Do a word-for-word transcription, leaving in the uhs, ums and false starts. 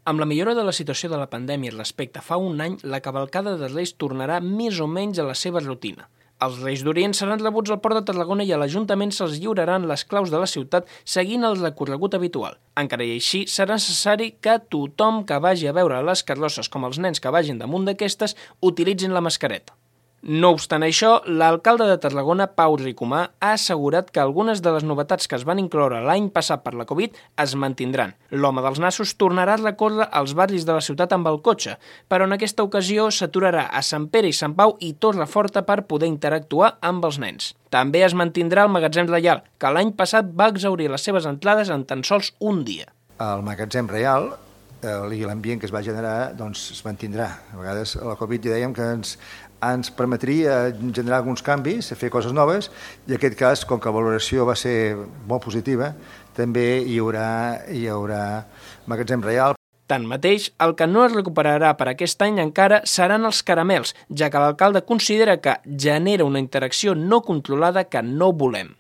Amb la millora de la situació de la pandèmia respecte a fa un any, la cavalcada de Reis tornarà més o menys a la seva rutina. Els Reis d'Orient seran rebuts al Port de Tarragona i a l'Ajuntament se'ls lliuraran les claus de la ciutat seguint el recorregut habitual. Encara i així, serà necessari que tothom que vagi a veure les carrosses com els nens que vagin damunt d'aquestes utilitzin la mascareta. No obstant això, l'alcalde de Tarragona, Pau Ricomà, ha assegurat que algunes de les novetats que es van incloure l'any passat per la Covid es mantindran. L'home dels nassos tornarà a recórrer als barris de la ciutat amb el cotxe, però en aquesta ocasió s'aturarà a Sant Pere i Sant Pau i Torreforta per poder interactuar amb els nens. També es mantindrà el Magatzem Reial, que l'any passat va exhaurir les seves entrades en tan sols un dia. El Magatzem Reial i l'ambient que es va generar doncs, es mantindrà. A vegades a la Covid ja dèiem que ens, ens permetria generar alguns canvis, fer coses noves, i en aquest cas, com que la valoració va ser molt positiva, també hi haurà, hi haurà Magatzem Reial. Tanmateix, el que no es recuperarà per aquest any encara seran els caramels, ja que l'alcalde considera que genera una interacció no controlada que no volem.